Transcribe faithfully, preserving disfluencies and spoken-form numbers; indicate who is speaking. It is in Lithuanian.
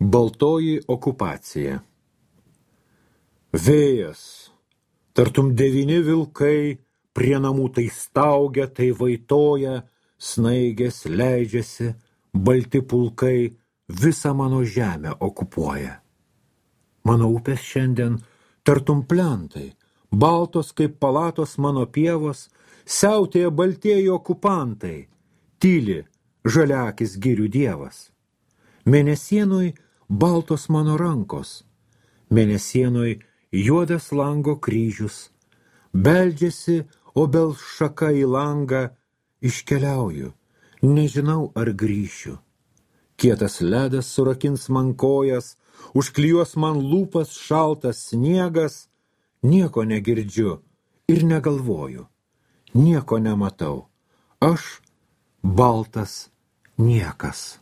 Speaker 1: Baltoji okupacija. Vėjas, tartum devyni vilkai, prie namų tai staugia, tai vaitoja, snaigės leidžiasi, balti pulkai visą mano žemę okupuoja. Mano upės šiandien tartum plentai, baltos kaip palatos mano pievos, siautėja baltieji okupantai, tyli žaliakis girių dievas. Mėnesienoj baltos mano rankos, mėnesienoj juodas lango kryžius, beldžiasi obels šaka į langą, iškeliauju, nežinau ar grįšiu. Kietas ledas surakins man kojas, užklijuos man lūpas šaltas sniegas, nieko negirdžiu ir negalvoju, nieko nematau, aš baltas niekas.